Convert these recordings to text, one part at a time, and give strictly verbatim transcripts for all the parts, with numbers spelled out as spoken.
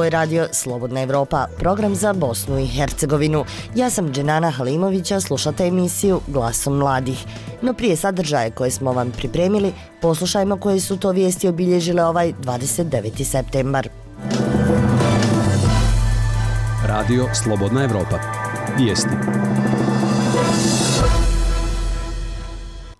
Ovo je radio Slobodna Evropa, program za Bosnu i Hercegovinu. Ja sam Dženana Halimovića, slušate emisiju Glasom mladih. No prije sadržaje koje smo vam pripremili, poslušajmo koje su to vijesti obilježile ovaj dvadeset deveti septembar. Radio Slobodna Evropa. Vijesti.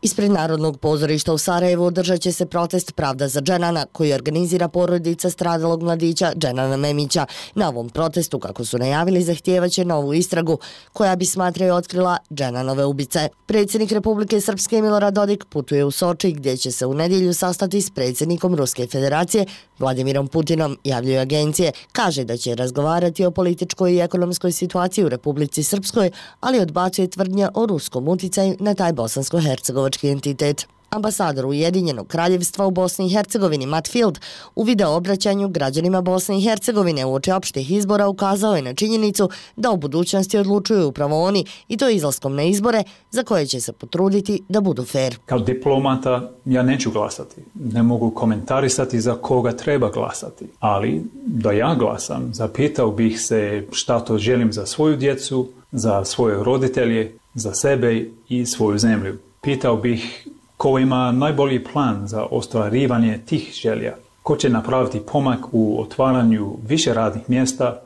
Ispred Narodnog pozorišta u Sarajevu održat će se protest Pravda za Dženana koji organizira porodica stradalog mladića Dženana Memića. Na ovom protestu, kako su najavili, zahtijevaće novu istragu koja bi, smatraju, otkrila Dženanove ubice. Predsjednik Republike Srpske Milorad Dodik putuje u Soči gdje će se u nedjelju sastati s predsjednikom Ruske federacije Vladimirom Putinom, javljaju agencije. Kaže da će razgovarati o političkoj i ekonomskoj situaciji u Republici Srpskoj, ali odbacuje tvrdnje o ruskom uticaju na taj bosansko-hercegovački entitet. Ambasador Ujedinjenog kraljevstva u Bosni i Hercegovini Matt Field u video obraćanju građanima Bosne i Hercegovine uoči opštih izbora ukazao je na činjenicu da u budućnosti odlučuju upravo oni, i to izlaskom na izbore za koje će se potruditi da budu fair. Kao diplomata ja neću glasati. Ne mogu komentarisati za koga treba glasati. Ali da ja glasam, zapitao bih se šta to želim za svoju djecu, za svoje roditelje, za sebe i svoju zemlju. Pitao bih ko ima najbolji plan za ostvarivanje tih želja, ko će napraviti pomak u otvaranju više radnih mjesta,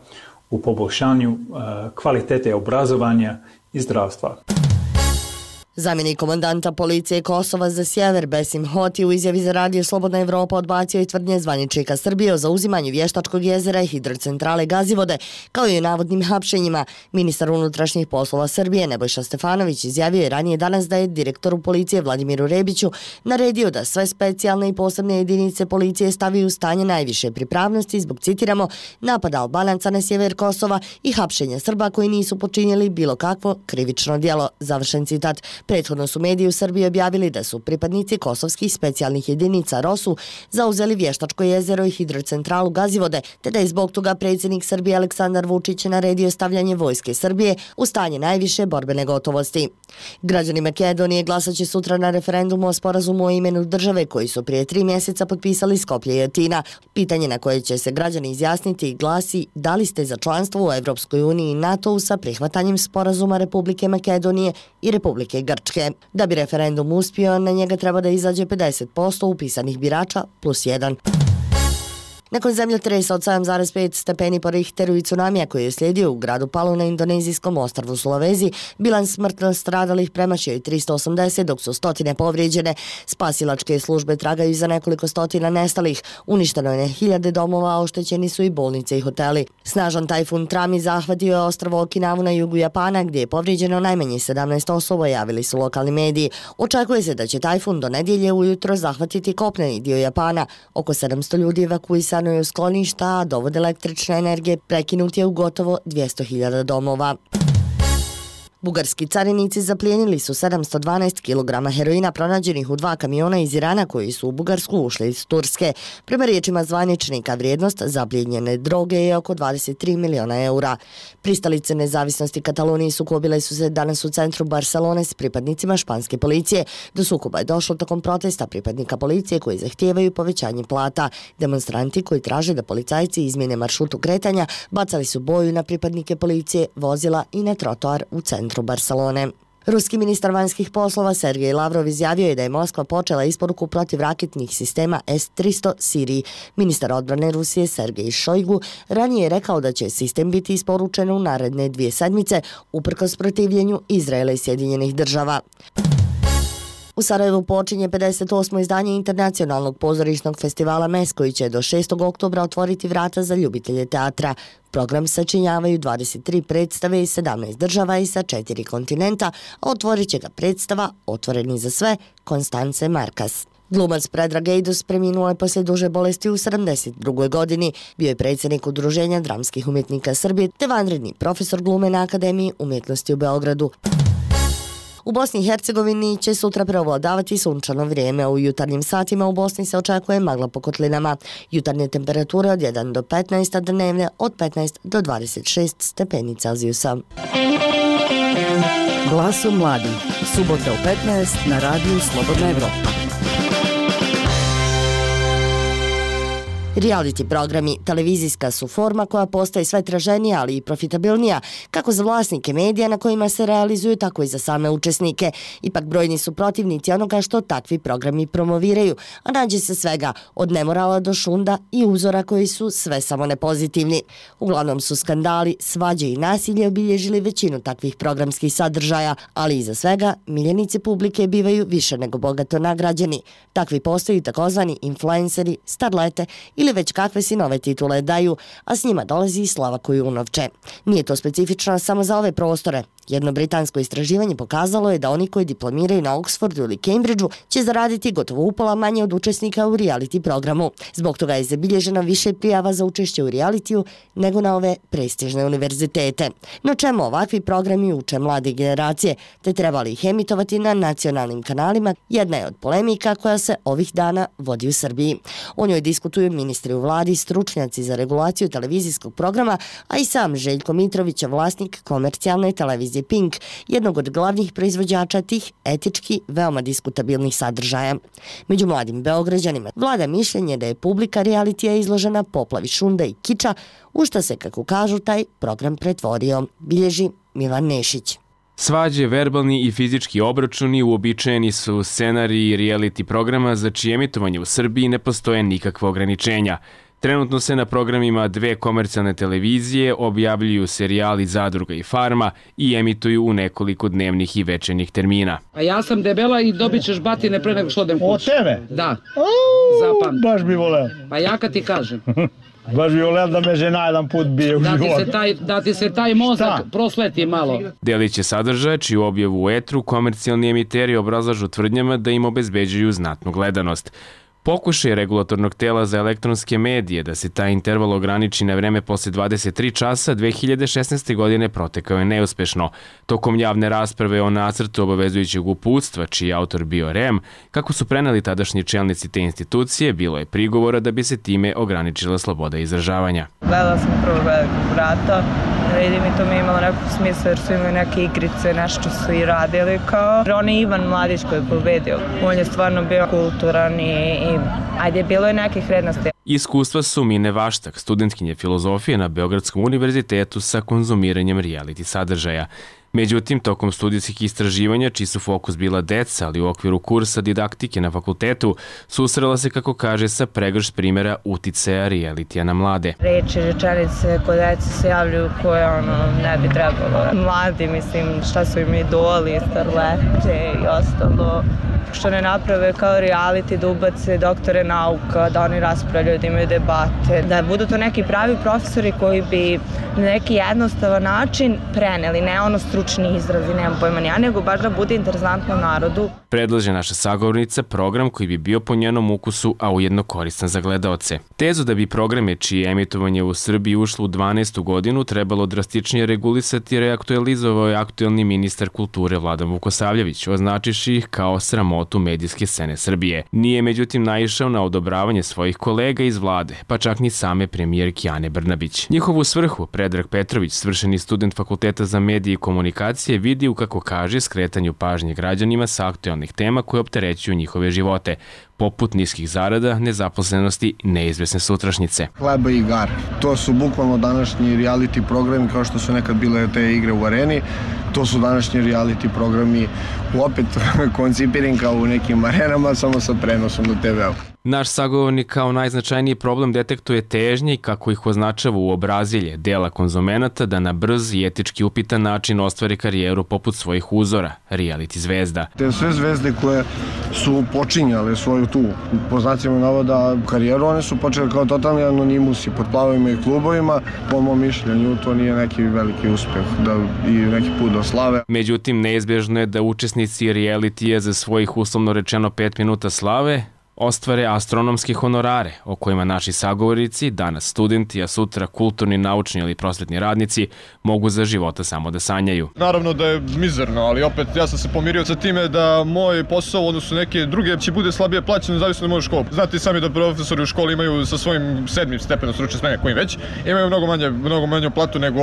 u poboljšanju uh, kvalitete obrazovanja i zdravstva. Zamjenik komandanta policije Kosova za sjever Besim Hoti u izjavi za radio Slobodna Evropa odbacio i tvrdnje zvaničnika Srbije o zauzimanju Vještačkog jezera i hidrocentrale Gazivode, kao i o navodnim hapšenjima. Ministar unutrašnjih poslova Srbije Nebojša Stefanović izjavio je ranije danas da je direktoru policije Vladimiru Rebiću naredio da sve specijalne i posebne jedinice policije stavi u stanje najviše pripravnosti zbog, citiramo, napada Albanaca na sjever Kosova i hapšenja Srba koji nisu počinjeli bilo kakvo krivično djelo, završen citat. Prethodno su mediji u Srbiji objavili da su pripadnici kosovskih specijalnih jedinica ROSU zauzeli Vještačko jezero i hidrocentralu Gazivode, te da je zbog toga predsjednik Srbije Aleksandar Vučić naredio stavljanje vojske Srbije u stanje najviše borbene gotovosti. Građani Makedonije glasat će sutra na referendumu o sporazumu o imenu države koji su prije tri mjeseca potpisali Skoplje i Atina. Pitanje na koje će se građani izjasniti glasi da li ste za članstvo u Evropskoj uniji i NATO-u sa prihvatanjem sporazuma Republike Makedonije i Republike Grčke. Da bi referendum uspio, na njega treba da izađe pedeset posto upisanih birača plus jedan. Nakon zemljotresa od sedam zarez pet stepeni po Richteru i tsunamija koji je slijedio u gradu Palu na indonezijskom ostrvu Sulawesi, bilans smrtno stradalih premašio je tristo osamdeset, dok su stotine povrijeđene. Spasilačke službe tragaju za nekoliko stotina nestalih. Uništeno je hiljade domova, a oštećeni su i bolnice i hoteli. Snažan tajfun Trami zahvatio je ostrvo Okinavu na jugu Japana, gdje je povrijeđeno najmanje sedamnaest osoba, javili su lokalni mediji. Očekuje se da će tajfun do nedjelje ujutro zahvatiti kopneni dio Japana. Oko sedamsto ljudi evakuisano je u skloništa, a dovod električne energije prekinut je u gotovo dvjesto hiljada domova. Bugarski carinici zaplijenili su sedamsto dvanaest kilograma heroina pronađenih u dva kamiona iz Irana koji su u Bugarsku ušli iz Turske. Prema riječima zvaničnika, vrijednost zaplijenjene droge je oko dvadeset tri miliona eura. Pristalice nezavisnosti Katalonije sukobile su se danas u centru Barcelone s pripadnicima španske policije. Do sukoba je došlo tokom protesta pripadnika policije koji zahtijevaju povećanje plata. Demonstranti koji traže da policajci izmjene maršrutu kretanja bacali su boju na pripadnike policije, vozila i na trotoar u centru Barcelone. Ruski ministar vanjskih poslova Sergej Lavrov izjavio je da je Moskva počela isporuku protivraketnih sistema S tristo Siriji. Ministar odbrane Rusije Sergej Šojgu ranije je rekao da će sistem biti isporučen u naredne dvije sedmice uprkos protivljenju Izraela i Sjedinjenih država. U Sarajevu počinje pedeset osmo izdanje Internacionalnog pozorišnog festivala M E S koji će do šestog oktobra otvoriti vrata za ljubitelje teatra. Program sačinjavaju dvadeset tri predstave iz sedamnaest država i sa četiri kontinenta, a otvorit će ga predstava Otvoreni za sve Konstance Markas. Glumac Predrag Ejdus preminuo je poslije duže bolesti u sedamdeset drugoj godini. Bio je predsjednik Udruženja dramskih umjetnika Srbije te vanredni profesor glume na Akademiji umjetnosti u Beogradu. U Bosni i Hercegovini će sutra preovladavati sunčano vrijeme. U jutarnjim satima u Bosni se očekuje magla po kotlinama. Jutarnje temperature od jedan do petnaest, a dnevne od petnaest do dvadeset šest stepeni Celzijusa. Glasom mladih. Subota u petnaest na radiju Slobodna Evropa. Reality programi televizijska su forma koja postaje sve traženija, ali i profitabilnija, kako za vlasnike medija na kojima se realizuju, tako i za same učesnike. Ipak brojni su protivnici onoga što takvi programi promoviraju, a nađe se svega od nemorala do šunda i uzora koji su sve samo nepozitivni. Uglavnom su skandali, svađe i nasilje obilježili većinu takvih programskih sadržaja, ali iza svega miljenici publike bivaju više nego bogato nagrađeni. Takvi postaju takozvani influenceri, starlete ili već kakve si nove titule daju, a s njima dolazi i slava koju unovče. Nije to specifično samo za ove prostore. Jedno britansko istraživanje pokazalo je da oni koji diplomiraju na Oxfordu ili Cambridgeu će zaraditi gotovo upola manje od učesnika u reality programu. Zbog toga je zabilježeno više prijava za učešće u realitiju nego na ove prestižne univerzitete. No čemu ovakvi programi uče mlade generacije, te trebali ih emitovati na nacionalnim kanalima, jedna je od polemika koja se ovih dana vodi u Srbiji. O njoj diskutuju ministri u vladi, stručnjaci za regulaciju televizijskog programa, a i sam Željko Mitrović, vlasnik komercijalne televizije Pink, jednog od glavnih proizvođača tih etički veoma diskutabilnih sadržaja. Među mladim Beograđanima vlada mišljenje da je publika realitija izložena poplavi šunda i kiča, u što se, kako kažu, taj program pretvorio, bilježi Milan Nešić. Svađe, verbalni i fizički obračuni uobičajeni su scenariji reality programa za čije emitovanje u Srbiji ne postoje nikakva ograničenja. Trenutno se na programima dve komercijalne televizije objavljuju serijali Zadruga i Farma i emituju u nekoliko dnevnih i večernjih termina. A ja sam debela i dobit ćeš batine pre nego što odem kući. Od tebe? Da. Zapam. Baš bi voleo. Pa ja kad ti kažem. Baš bi voleo da me žena jedan put bije u da život. Ti se taj, da ti se taj mozak Šta? prosveti malo. Deliće sadržaja, čiju objavu u etru komercijalni emiteri obrazlažu tvrdnjama da im obezbeđuju znatnu gledanost. Pokušaj regulatornog tela za elektronske medije da se taj interval ograniči na vreme posle dvadeset tri časa dve hiljade šesnaeste. godine protekao je neuspešno. Tokom javne rasprave o nacrtu obavezujućeg uputstva, čiji je autor bio R E M, kako su preneli tadašnji čelnici te institucije, bilo je prigovora da bi se time ograničila sloboda izražavanja. Gledala sam prvo Velikog brata, ne vidim i to mi je imalo nekog smisla jer su imali neke igrice, nešto su i radili kao. On je Ivan Mladić koji je pobedio. On je stvarno bio kulturan i, i ajde, bilo je nekih vrednosti. Iskustva su Mine Vaštak, studentkinje filozofije na Beogradskom univerzitetu sa konzumiranjem reality sadržaja. Međutim, tokom studijskih istraživanja, čiji su fokus bila deca, ali u okviru kursa didaktike na fakultetu, susrela se, kako kaže, sa pregršt primjera uticaja realitija na mlade. Reči, rečenice kod dece se javljaju koje ono ne bi trebalo. Mladi, mislim, šta su im idoli, starlete i ostalo. Što ne naprave kao reality, da ubace doktore nauka, da oni raspravljaju, da imaju debate, da budu to neki pravi profesori koji bi na neki jednostavan način preneli, ne ono stručni izrazi, nemam pojma ni ja, nego baš da bude interesantno narodu. Predlaže naša sagovornica program koji bi bio po njenom ukusu, a ujedno koristan za gledaoce. Tezu da bi programe čije emitovanje u Srbiji ušlo u dvanaestu godinu trebalo drastičnije regulisati reaktualizovao je aktuelni ministar kulture Vladan Vukosavljević, označiši ih kao sramotu medijske scene Srbije. Nije međutim naišao na odobravanje svojih kolega iz vlade, pa čak ni same premijerke Ane Brnabić. Njihovu svrhu Predrag Petrović, svršeni student Fakulteta za medije i komunikacije, vidi u, kako kaže, skretanju pažnje građanima sa aktuelnih tema koje opterećuju njihove živote, poput niskih zarada, nezaposlenosti, neizvesne sutrašnjice. Hleba i igara. To su bukvalno današnji reality programi kao što su nekad bile te igre u areni. To su današnji reality programi opet koncipirani kao u nekim arenama, samo sa prenosom na te ve-u. Naš sagovornik kao najznačajniji problem detektuje težnje i, kako ih označava u obrazilje, dela konzumenata da na brz i etički upitan način ostvari karijeru poput svojih uzora, reality zvezda. Te sve zvezde koje su počinjale svoju tu, po znacima navoda, karijeru, one su počele kao totalni anonimusi pod plavovima i klubovima. Po mom mišljenju to nije neki veliki uspeh da, i neki put do slave. Međutim, neizbježno je da učesnici realitija za svojih, uslovno rečeno, pet minuta slave ostvare astronomske honorare, o kojima naši sagovornici, danas studenti, a sutra kulturni, naučni ili prosvetni radnici, mogu za života samo da sanjaju. Naravno da je mizerno, ali opet ja sam se pomirio sa time da moj posao, odnosno neke druge, će bude slabije plaćeno, zavisno od moje škole. Znate sami da profesori u školi imaju sa svojim sedmim stepenom stručne spreme, kojim već, imaju mnogo manje, mnogo manju platu nego,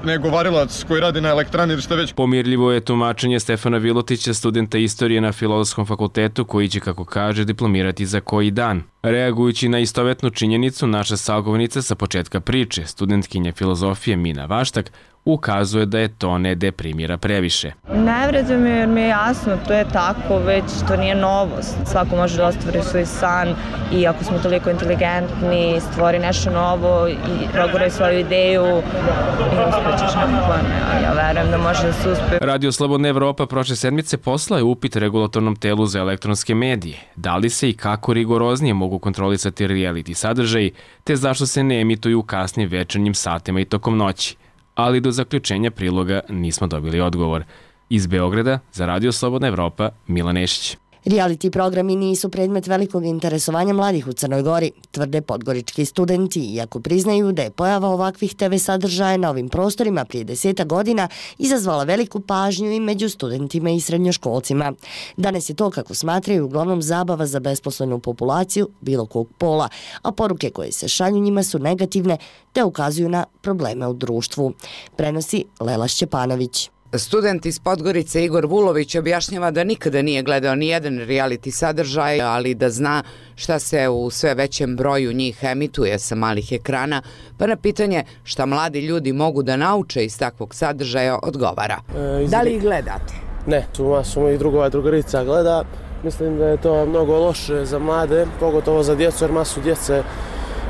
nego varilac koji radi na elektrani ili šta već. Pomirljivo je tumačenje Stefana Vilutića, studenta istorije na Filozofskom fakultetu, koji će, kako kaže, diplomirati objavljivati za koji dan. Reagujući na istovetnu činjenicu, naša sagovornica sa početka priče, studentkinja filozofije Mina Vaštak, ukazuje da je to ne deprimira previše. Ne vređa me jer mi je jasno, to je tako, već to nije novost. Svako može da ostvari svoj san i ako smo toliko inteligentni, stvori nešto novo i proguraj svoju ideju i uspećeš nekako ne, ali ja verujem da može da se uspe. Radio Slobodna Evropa prošle sedmice poslao je upit regulatornom telu za elektronske medije. Da li se i kako rigoroznije mogu kontrolisati reality sadržaji, te zašto se ne emituju u kasnim večernjim satima i tokom noći. Ali do zaključenja priloga nismo dobili odgovor. Iz Beograda za Radio Slobodna Evropa, Milan Nešić. Reality programi nisu predmet velikog interesovanja mladih u Crnoj Gori, tvrde podgorički studenti, iako priznaju da je pojava ovakvih te ve sadržaja na ovim prostorima prije deseta godina izazvala veliku pažnju i među studentima i srednjoškolcima. Danas je to, kako smatraju, uglavnom zabava za besposlenu populaciju bilo kog pola, a poruke koje se šalju njima su negativne te ukazuju na probleme u društvu. Prenosi Lela Šćepanović. Student iz Podgorice Igor Vulović objašnjava da nikada nije gledao ni jedan reality sadržaj, ali da zna šta se u sve većem broju njih emituje sa malih ekrana, pa na pitanje šta mladi ljudi mogu da nauče iz takvog sadržaja odgovara. E, da li ih gledate? Ne, tu masu mojih drugova drugarica gleda. Mislim da je to mnogo loše za mlade, pogotovo za djecu, jer masu djece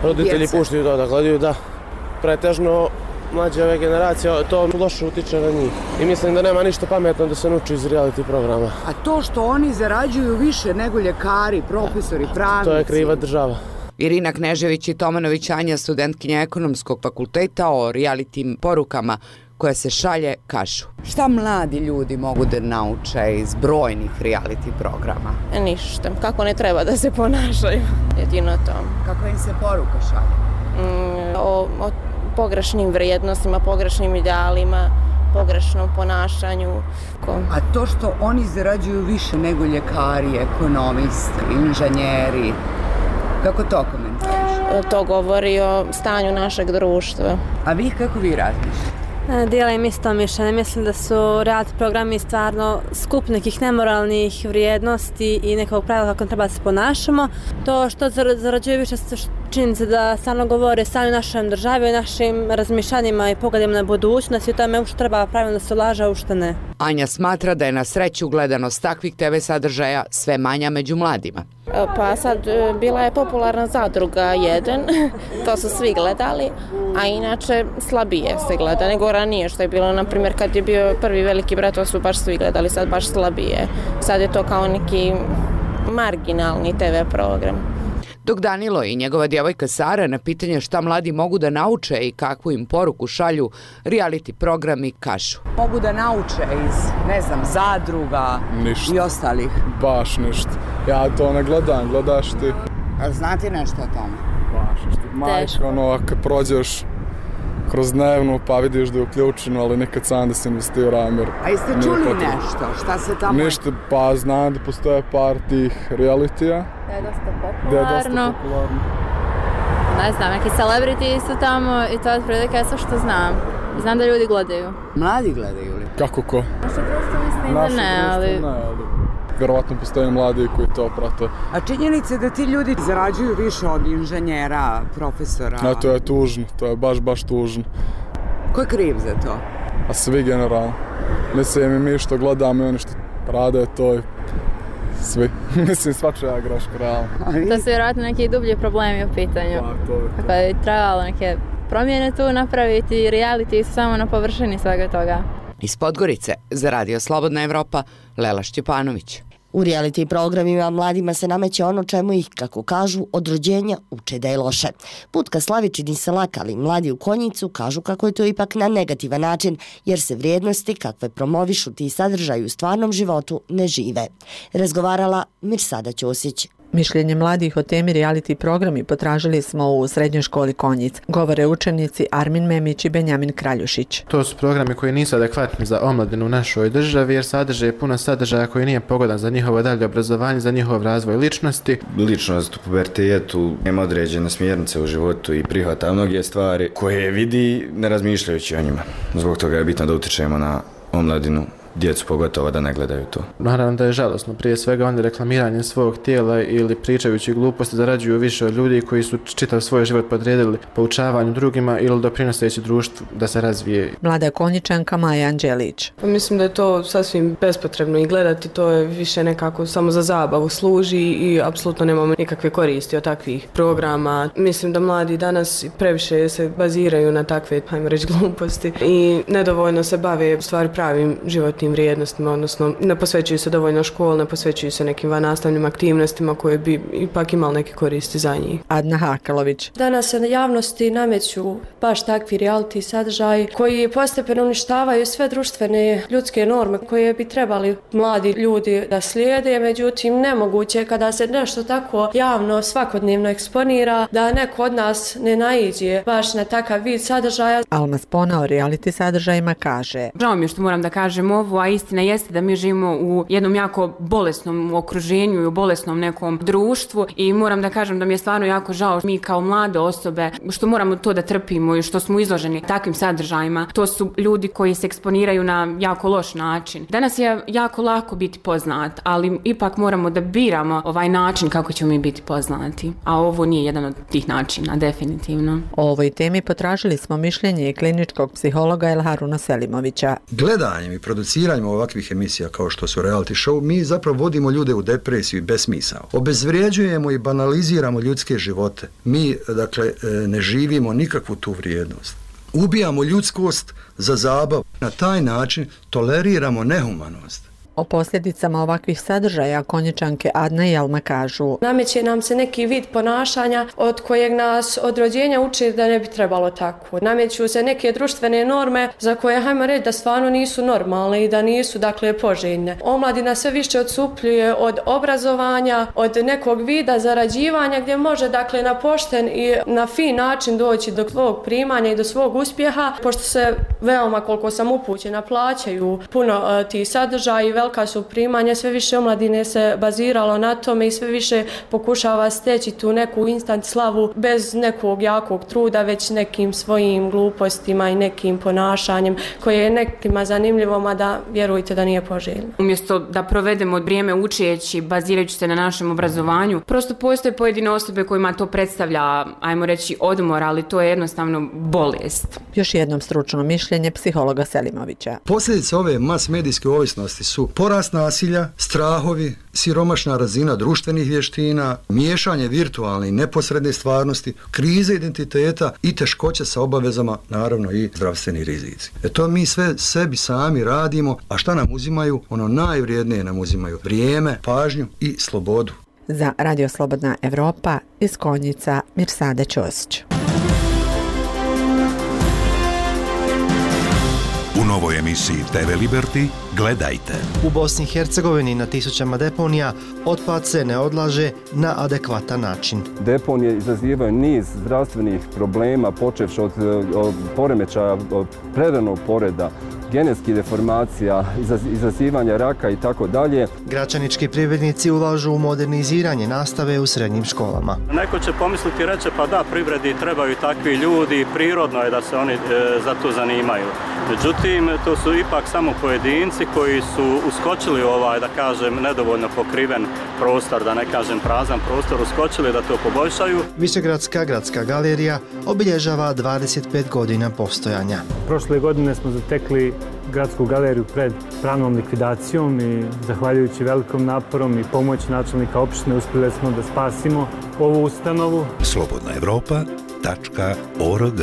roditelji Djece. puštaju to da gledaju, da pretežno mlađe ove generacije, to loše utiče na njih. I mislim da nema ništa pametno da se nauči iz reality programa. A to što oni zarađuju više nego ljekari, profesori, pravnici... To je kriva država. Irina Knežević i Tomanović Anja, studentkinja ekonomskog fakulteta, o reality porukama koje se šalje kažu. Šta mladi ljudi mogu da nauče iz brojnih reality programa? Ništa. Kako ne treba da se ponašaju. Jedino to. Kako im se poruka šalje? Mm, o, o pogrešnim vrijednostima, pogrešnim idealima, pogrešnom ponašanju. A to što oni zarađuju više nego ljekari, ekonomisti, inženjeri, kako to komentariš? To govori o stanju našeg društva. A vi kako vi razmišljate? Dijelim isto mišljenje. Mislim da su reality programi stvarno skup nekih nemoralnih vrijednosti i nekog pravila kako treba da se ponašamo. To što zarađuje više činjenica da stvarno govore o stanju našem državi, o našim razmišljanjima i pogledima na budućnost i o tome u što treba pravilno da se ulaže, a u što ne. Anja smatra da je na sreću gledanost takvih te ve sadržaja sve manja među mladima. Pa sad bila je popularna Zadruga jedan, to su svi gledali, a inače slabije se gleda nego ranije što je bilo, na primjer kad je bio prvi Veliki brat, to su baš svi gledali, sad baš slabije. Sad je to kao neki marginalni te ve program. Dok Danilo i njegova djevojka Sara na pitanje šta mladi mogu da nauče i kakvu im poruku šalju reality programi kažu. Mogu da nauče iz, ne znam, Zadruga ništa. I ostalih. Baš ništa. Ja to ne gledam, gledaš ti. A znate nešto o tome? Baš ništa. Majka, ono, kad prođeš kroz dnevnu pa vidiš da je uključeno, ali nikad sam da se investirao. A jeste čuli nešto? Šta se tamo... Ništa, pa znam da postoje par tih realitija. Da je dosta popularno. Da je dosta popularno. Ne znam, neki celebrity su tamo i to je otprilike sve što znam. Znam da ljudi gledaju. Mladi gledaju li? Kako ko? Naše društvo mislim da ne, ali... ne, ali... Vjerovatno postoje mladi koji to prate. A činjenica da ti ljudi zarađuju više od inženjera, profesora... Ne, to je tužno, to je baš, baš tužno. Ko je kriv za to? A svi generalno. Mislim, mi što gledamo i oni što rade, to je svi. Mislim, svačija greška, realno. To su vjerojatno neki dublji problemi u pitanju. Pa, to je to. Tako je trebalo neke promjene tu napraviti, reality su samo na površini svega toga. Iz Podgorice za Radio Slobodna Evropa, Lela Šćepanović. U reality programima mladima se nameće ono čemu ih, kako kažu, od rođenja uče da je loše. Put ka slavi čini se lak, ali mladi u Konjicu kažu kako je to ipak na negativan način, jer se vrijednosti kakve promovišu ti sadržaju u stvarnom životu ne žive. Razgovarala Mirsada Ćosić. Mišljenje mladih o temi reality programi potražili smo u srednjoj školi Konjic. Govore učenici Armin Memić i Benjamin Kraljušić. To su programi koji nisu adekvatni za omladinu u našoj državi jer sadrže puno sadržaja koji nije pogodan za njihovo dalje obrazovanje, za njihov razvoj ličnosti. Ličnost u pubertetu nema određene smjernice u životu i prihvata mnoge stvari koje vidi ne razmišljajući o njima. Zbog toga je bitno da utičemo na omladinu djecu pogotovo da ne gledaju to. Naravno da je žalosno, prije svega oni reklamiranjem svog tijela ili pričajući gluposti zarađuju više od ljudi koji su čitav svoj život podredili poučavanju drugima ili doprinoseći društvu da se razvije. Mlada konjičanka Maja Anđelić. Pa mislim da je to sasvim bespotrebno i gledati, to je više nekako samo za zabavu služi i apsolutno nemamo nikakve koristi od takvih programa. Mislim da mladi danas previše se baziraju na takve, hajmo reći, gluposti i nedovoljno se bave stvari pravim životnim vrijednostima, odnosno ne posvećuju se dovoljno školi, ne posvećuju se nekim vannastavnim aktivnostima koje bi ipak imali neke koristi za njih. Adna Hakalović. Danas se na javnosti nameću baš takvi reality sadržaji koji postepeno uništavaju sve društvene ljudske norme koje bi trebali mladi ljudi da slijede, međutim nemoguće kada se nešto tako javno svakodnevno eksponira da neko od nas ne naiđe baš na takav vid sadržaja. Alma Spona o reality sadržajima kaže: Žao mi je što moram da kažem ovo, a istina jeste da mi živimo u jednom jako bolesnom okruženju i u bolesnom nekom društvu i moram da kažem da mi je stvarno jako žao mi kao mlade osobe što moramo to da trpimo i što smo izloženi takvim sadržajima. To su ljudi koji se eksponiraju na jako loš način. Danas je jako lako biti poznat, ali ipak moramo da biramo ovaj način kako ćemo mi biti poznati. A ovo nije jedan od tih načina, definitivno. O ovoj temi potražili smo mišljenje kliničkog psihologa Elharuna Selimovića. Gledanjem i produciranjem ovakvih emisija kao što su reality show, mi zapravo vodimo ljude u depresiju i besmisao. Obezvrijeđujemo i banaliziramo ljudske živote. Mi, dakle, ne živimo nikakvu tu vrijednost. Ubijamo ljudskost za zabavu. Na taj način toleriramo nehumanost. O posljedicama ovakvih sadržaja konjičanke Adna i Alma kažu: Nameće nam se neki vid ponašanja od kojeg nas od rođenja uči da ne bi trebalo tako. Nameću se neke društvene norme za koje, hajmo reći, da stvarno nisu normalne i da nisu, dakle, poželjne. Omladina sve više odsupljuje od obrazovanja, od nekog vida zarađivanja gdje može, dakle, na pošten i na fin način doći do svog primanja i do svog uspjeha, pošto se veoma, koliko sam upućena, plaćaju puno uh, tih sadržaja i velika su primanja, sve više omladine se baziralo na tome i sve više pokušava steći tu neku instant slavu bez nekog jakog truda, već nekim svojim glupostima i nekim ponašanjem koje je nekima zanimljivo, mada vjerujte da nije poželjno. Umjesto da provedemo vrijeme učeći, bazirajući se na našem obrazovanju, prosto postoje pojedine osobe kojima to predstavlja, ajmo reći, odmor, ali to je jednostavno bolest. Još jednom stručno mišljenje psihologa Selimovića. Posljedice ove mas medijske ovisnosti su porast nasilja, strahovi, siromašna razina društvenih vještina, miješanje virtualne i neposredne stvarnosti, krize identiteta i teškoće sa obavezama, naravno i zdravstveni rizici. E to mi sve sebi sami radimo, a šta nam uzimaju? Ono najvrijednije nam uzimaju: vrijeme, pažnju i slobodu. Za Radio Slobodna Evropa iz Konjica Mirsada Ćosić. U novoj emisiji te ve Liberty gledajte. U Bosni i Hercegovini na tisućama deponija otpad se ne odlaže na adekvatan način. Deponije izazivaju niz zdravstvenih problema, počevši od, od poremećaja preranog poreda, genetskih deformacija, izazivanja raka i tako dalje. Gračanički privrednici ulažu u moderniziranje nastave u srednjim školama. Neko će pomisliti i reći, pa da, privredi trebaju takvi ljudi, prirodno je da se oni e, za to zanimaju. Međutim, to su ipak samo pojedinci koji su uskočili ovaj, da kažem, nedovoljno pokriven prostor, da ne kažem prazan prostor, uskočili da to poboljšaju. Višegradska gradska galerija obilježava dvadeset pet godina postojanja. Prošle godine smo zatekli gradsku galeriju pred pravnom likvidacijom i zahvaljujući velikom naporom i pomoći načelnika opštine uspjeli smo da spasimo ovu ustanovu. slobodna evropa tačka org.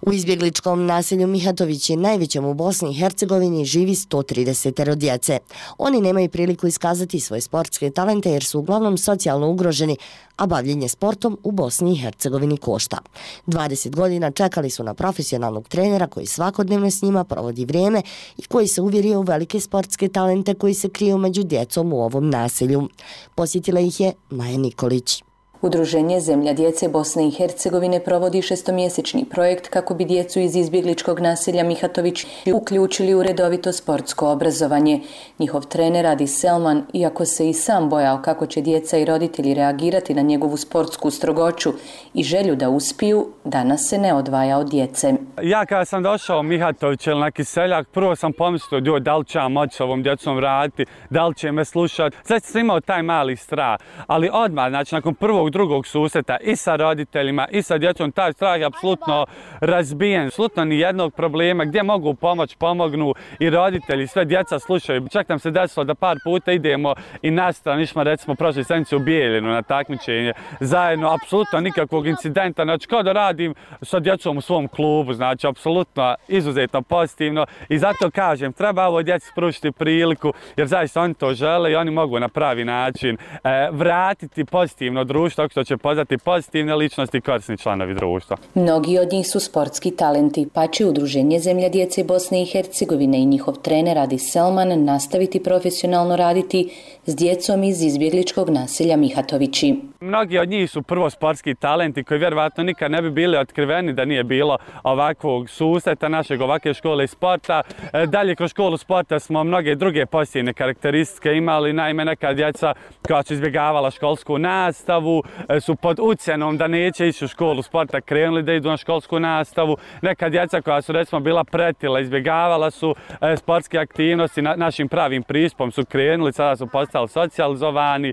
U izbjegličkom naselju Mihatovići, najvećem u Bosni i Hercegovini, živi sto trideset djece. Oni nemaju priliku iskazati svoje sportske talente jer su uglavnom socijalno ugroženi, a bavljenje sportom u Bosni i Hercegovini košta. dvadeset godina čekali su na profesionalnog trenera koji svakodnevno s njima provodi vrijeme i koji se uvjerio u velike sportske talente koji se kriju među djecom u ovom naselju. Posjetila ih je Maja Nikolić. Udruženje Zemlja djece Bosne i Hercegovine provodi šestomjesečni projekt kako bi djecu iz izbjegličkog naselja Mihatović uključili u redovito sportsko obrazovanje. Njihov trener Adi Selman, iako se i sam bojao kako će djeca i roditelji reagirati na njegovu sportsku strogoću i želju da uspiju, danas se ne odvaja od djece. Ja kada sam došao u Mihatović ili na Kiseljak, prvo sam pomislio, joj, da li će ja moći s ovom djecom raditi, da li će me slušati. Znači sam imao taj mali strah, ali odmah, znači nakon prvog drugog susreta i sa roditeljima i sa djecom, taj strah je apsolutno razbijen. Apsolutno ni jednog problema, gdje mogu pomoć, pomognu i roditelji, sve djeca slušaju. Čak nam se desilo da par puta idemo i na stranu, išmo recimo prošle sedmice u Bijeljinu na takmičenje zajedno, apsolutno nikakvog incidenta, znači kao da radim sa djecom u svom klubu, znači apsolutno izuzetno pozitivno i zato kažem, treba ovoj djeci pružiti priliku jer zaista oni to žele i oni mogu na pravi način e, vratiti pozitivno društvo, tako što će poznati pozitivne ličnosti i korisni članovi društva. Mnogi od njih su sportski talenti, pa će Udruženje Zemlja djece Bosne i Hercegovine i njihov trener Adi Selman nastaviti profesionalno raditi s djecom iz izbjegličkog naselja Mihatovići. Mnogi od njih su prvo sportski talenti koji vjerovatno nikad ne bi bili otkriveni da nije bilo ovakvog susreta našeg ovakve škole sporta. Dalje kroz školu sporta smo mnoge druge pozitivne karakteristike imali, naime neka djeca koja su izbjegavala školsku nastavu, su pod ucjenom da neće ići u školu sporta krenuli da idu na školsku nastavu. Neka djeca koja su recimo bila pretila, izbjegavala su sportske aktivnosti, na, našim pravim pristupom su krenuli, sada su postali socijalizovani,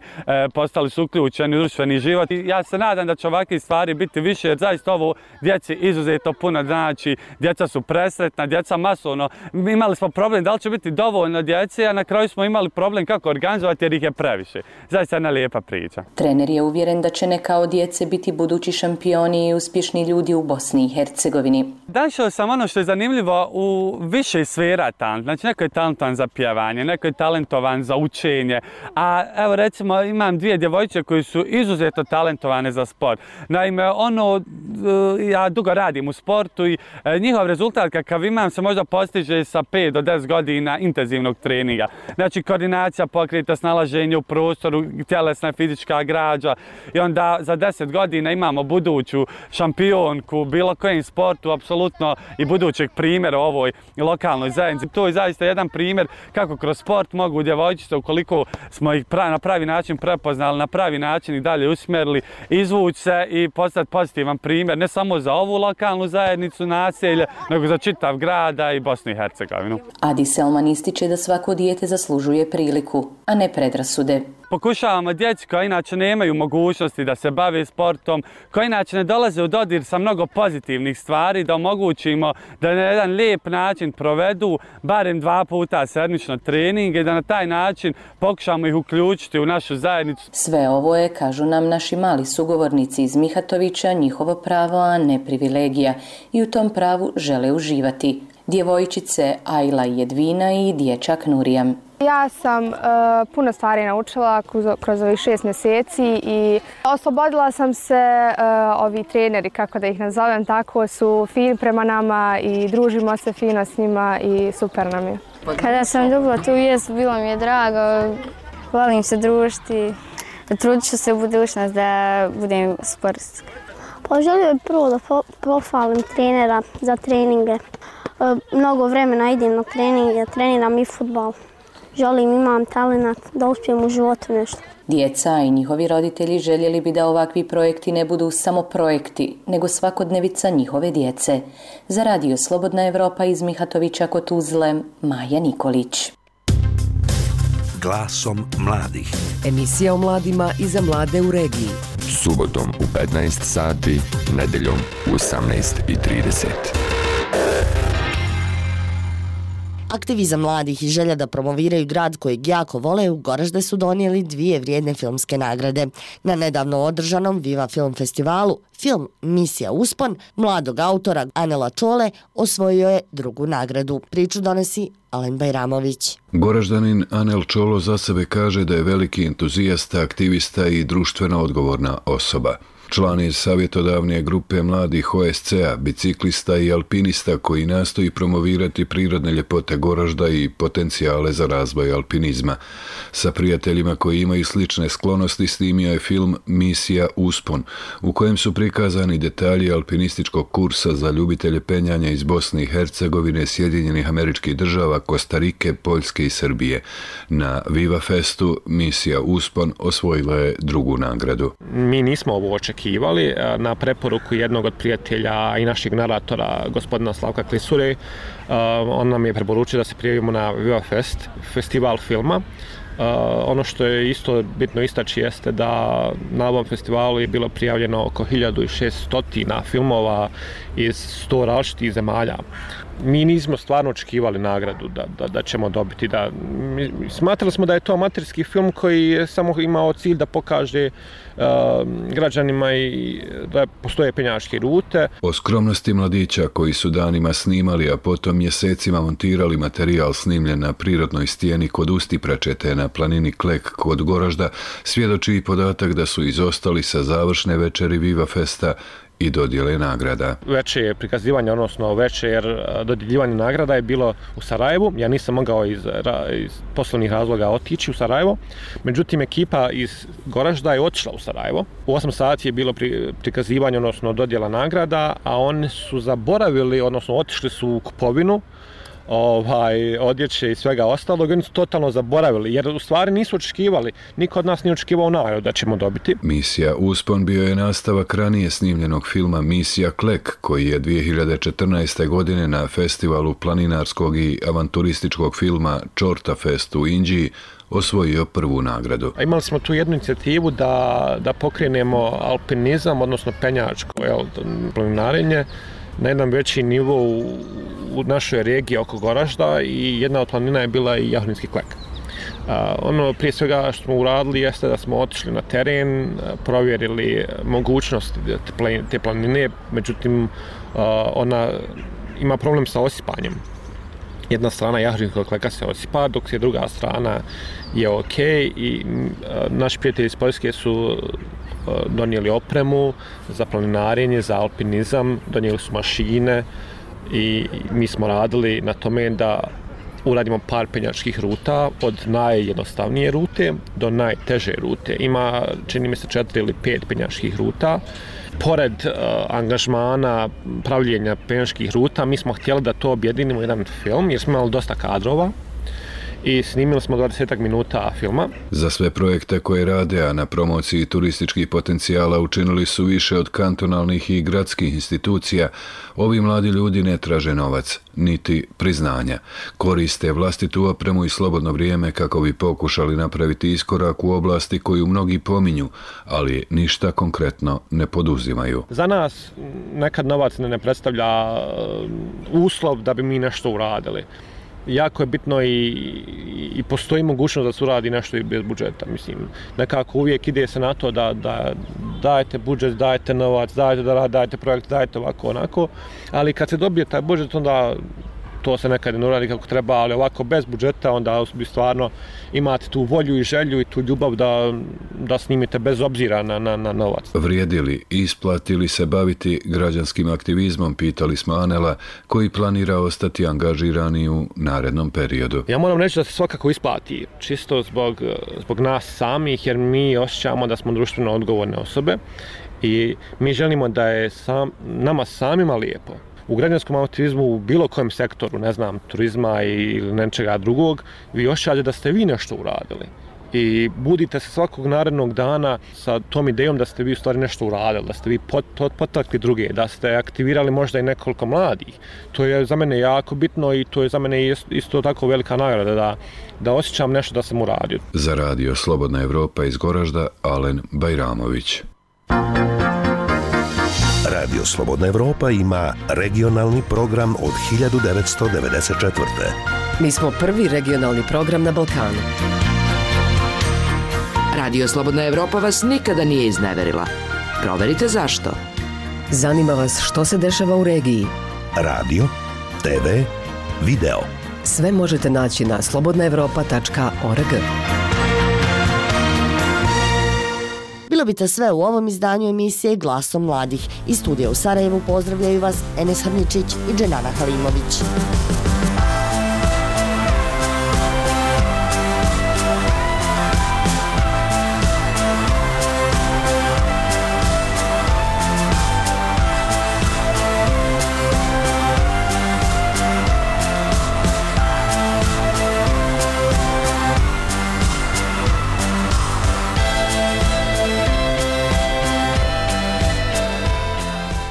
postali su uključeni u društveni život. I ja se nadam da će ovakve stvari biti više jer zaista ovo djeci izuzetno puno znači. Djeca su presretna, djeca masovno. Imali smo problem da li će biti dovoljno djece, a na kraju smo imali problem kako organizovati jer ih je previše. Zaista jedna lijepa priča. Trener je uvjeren da će neka od djece biti budući šampioni i uspješni ljudi u Bosni i Hercegovini. Našao sam ono što je zanimljivo u više sfera talent. Znači neko je talentovan za pjevanje, neko je talentovan za učenje, a evo recimo imam dvije djevojčice koji su izuzetno talentovane za sport. Naime, ono, ja dugo radim u sportu i njihov rezultat kakav imam se možda postiže sa pet do deset godina intenzivnog treninga. Znači koordinacija pokreta, snalaženje u prostoru, tjelesna fizička građa i onda za deset godina imamo buduću šampionku bilo kojem sportu, apsolutno i budućeg primjera u ovoj lokalnoj zajednici. To je zaista jedan primjer kako kroz sport mogu djevojčice, ukoliko smo ih na pravi način prepoznali, na pravi način i dalje usmjerili, izvući se i postati pozitivan primjer ne samo za ovu lokalnu zajednicu, naselje, nego za čitav grada i Bosnu i Hercegovinu. Adi Selman ističe da svako dijete zaslužuje priliku, a ne predrasude. Pokušavamo djeci koja inače nemaju mogućnosti da se bave sportom, koja inače ne dolaze u dodir sa mnogo pozitivnih stvari, da omogućimo da na jedan lijep način provedu barem dva puta sedmično treninge i da na taj način pokušamo ih uključiti u našu zajednicu. Sve ovo je, kažu nam naši mali sugovornici iz Mihatovića, njihovo pravo, a ne privilegija i u tom pravu žele uživati. Djevojčice Ajla i Jedvina i dječak Nurijam. Ja sam uh, puno stvari naučila kroz, kroz ovih šest mjeseci i oslobodila sam se, uh, ovi treneri, kako da ih nazovem, tako su fini prema nama i družimo se fino s njima i super nam je. Kada sam dobila tu vijest, bilo mi je drago, volim se družiti, trudit ću se u budućnost da budem sportska. Pa želio bih prvo da pohvalim trenera za treninge. Mnogo vremena idem na treninge, treniram i fudbal. Želim, imam talent da uspijem u životu nešto. Djeca i njihovi roditelji željeli bi da ovakvi projekti ne budu samo projekti, nego svakodnevica njihove djece. Za Radio Slobodna Evropa iz Mihatovića kod Tuzle, Maja Nikolić. Glasom mladih. Emisija o mladima i za mlade u regiji. Subotom u petnaest sati, nedeljom u osamnaest i trideset. Aktivizam mladih i želja da promoviraju grad kojeg jako vole u Goražde su donijeli dvije vrijedne filmske nagrade. Na nedavno održanom Viva Film festivalu film Misija Uspon mladog autora Anela Čole osvojio je drugu nagradu. Priču donosi Alen Bajramović. Goraždanin Anel Čolo za sebe kaže da je veliki entuzijasta, aktivista i društveno odgovorna osoba. Član je savjetodavne grupe mladih O S C-a, biciklista i alpinista koji nastoji promovirati prirodne ljepote Goražda i potencijale za razvoj alpinizma. Sa prijateljima koji imaju slične sklonosti snimio je film Misija Uspon, u kojem su prikazani detalji alpinističkog kursa za ljubitelje penjanja iz Bosne i Hercegovine, Sjedinjenih Američkih Država, Kostarike, Poljske i Srbije. Na Viva Festu Misija Uspon osvojila je drugu nagradu. Mi nismo ovo očekivali. Na preporuku jednog od prijatelja i našeg naratora, gospodina Slavka Klisure, on nam je preporučio da se prijavimo na Viva Fest, festival filma. Uh, ono što je isto bitno istaći jeste da na ovom festivalu je bilo prijavljeno oko hiljadu šesto filmova iz sto različitih zemalja. Mi nismo stvarno očekivali nagradu da, da, da ćemo dobiti. Da, mi, smatrali smo da je to amaterski film koji je samo imao cilj da pokaže uh, građanima i da postoje penjačke rute. O skromnosti mladića koji su danima snimali, a potom mjesecima montirali materijal snimljen na prirodnoj stijeni kod Ustipračete na planini Klek kod Goražda, svjedoči i podatak da su izostali sa završne večeri Viva Festa i dodjele nagrada. Veće prikazivanje, odnosno veće jer dodjeljivanje nagrada je bilo u Sarajevu. Ja nisam mogao iz, iz poslovnih razloga otići u Sarajevo. Međutim, ekipa iz Goražda je otišla u Sarajevo. U osam sati je bilo pri, prikazivanje, odnosno dodjela nagrada, a oni su zaboravili, odnosno otišli su u kupovinu ovaj, odjeće i svega ostalog, oni su totalno zaboravili, jer u stvari nisu očekivali, niko od nas nije očekivao nagradu da ćemo dobiti. Misija Uspon bio je nastavak ranije snimljenog filma Misija Klek, koji je dvije hiljade četrnaeste. godine na festivalu planinarskog i avanturističkog filma Čorta Fest u Inđiji osvojio prvu nagradu. Imali smo tu jednu inicijativu da, da pokrenemo alpinizam, odnosno penjačko jel, planinarenje, na jednom veći nivou u, u našoj regiji oko Goražda i jedna od planina je bila i Jahornički Klek. A, ono prije svega što smo uradili jeste da smo otišli na teren, provjerili mogućnosti te, te planine, međutim a, ona ima problem sa osipanjem. Jedna strana Jahorničkog Kleka se osipa, dok je druga strana je ok i a, naši prijatelji iz Poljske su donijeli opremu za planinarenje, za alpinizam, donijeli su mašine i mi smo radili na tome da uradimo par penjačkih ruta od najjednostavnije rute do najteže rute. Ima, čini mi se, četiri ili pet penjačkih ruta. Pored uh, angažmana pravljenja penjačkih ruta, mi smo htjeli da to objedinimo jedan film, jer smo imali dosta kadrova i snimili smo dvadeset minuta filma. Za sve projekte koje rade, a na promociji turističkih potencijala učinili su više od kantonalnih i gradskih institucija, ovi mladi ljudi ne traže novac, niti priznanja. Koriste vlastitu opremu i slobodno vrijeme kako bi pokušali napraviti iskorak u oblasti koju mnogi pominju, ali ništa konkretno ne poduzimaju. Za nas nekad novac ne predstavlja uslov da bi mi nešto uradili. Jako je bitno i, i postoji mogućnost da se uradi nešto i bez budžeta. Mislim, nekako uvijek ide se na to da, da dajete budžet, dajete novac, dajete da dajete projekt, dajete ovako, onako, ali kad se dobije taj budžet, onda to se nekad ne uradi kako treba, ali ovako bez budžeta, onda bi stvarno imate tu volju i želju i tu ljubav da, da snimite bez obzira na, na, na novac. Vrijedi li, isplati li se baviti građanskim aktivizmom, pitali smo Anela, koji planira ostati angažirani u narednom periodu. Ja moram reći da se svakako isplati, čisto zbog, zbog nas samih, jer mi osjećamo da smo društveno odgovorne osobe i mi želimo da je sam, nama samima lijepo. U građanskom aktivizmu u bilo kojem sektoru, ne znam, turizma ili nečega drugog, vi osjećate da ste vi nešto uradili. I budite se svakog narednog dana sa tom idejom da ste vi u stvari nešto uradili, da ste vi pot, pot, potakli druge, da ste aktivirali možda i nekoliko mladih. To je za mene jako bitno i to je za mene isto tako velika nagrada da, da osjećam nešto da sam uradio. Za radio Slobodna Evropa iz Goražda, Alen Bajramović. Radio Slobodna Evropa ima regionalni program od hiljadu devetsto devedeset četvrte. Mi smo prvi regionalni program na Balkanu. Radio Slobodna Evropa vas nikada nije izneverila. Proverite zašto. Zanima vas što se dešava u regiji. Radio, te ve, video. Sve možete naći na slobodna evropa tačka org. dobite sve u ovom izdanju emisije Glasom mladih. Iz studija u Sarajevu pozdravljaju vas Enes Hrničić i Dženana Halimović.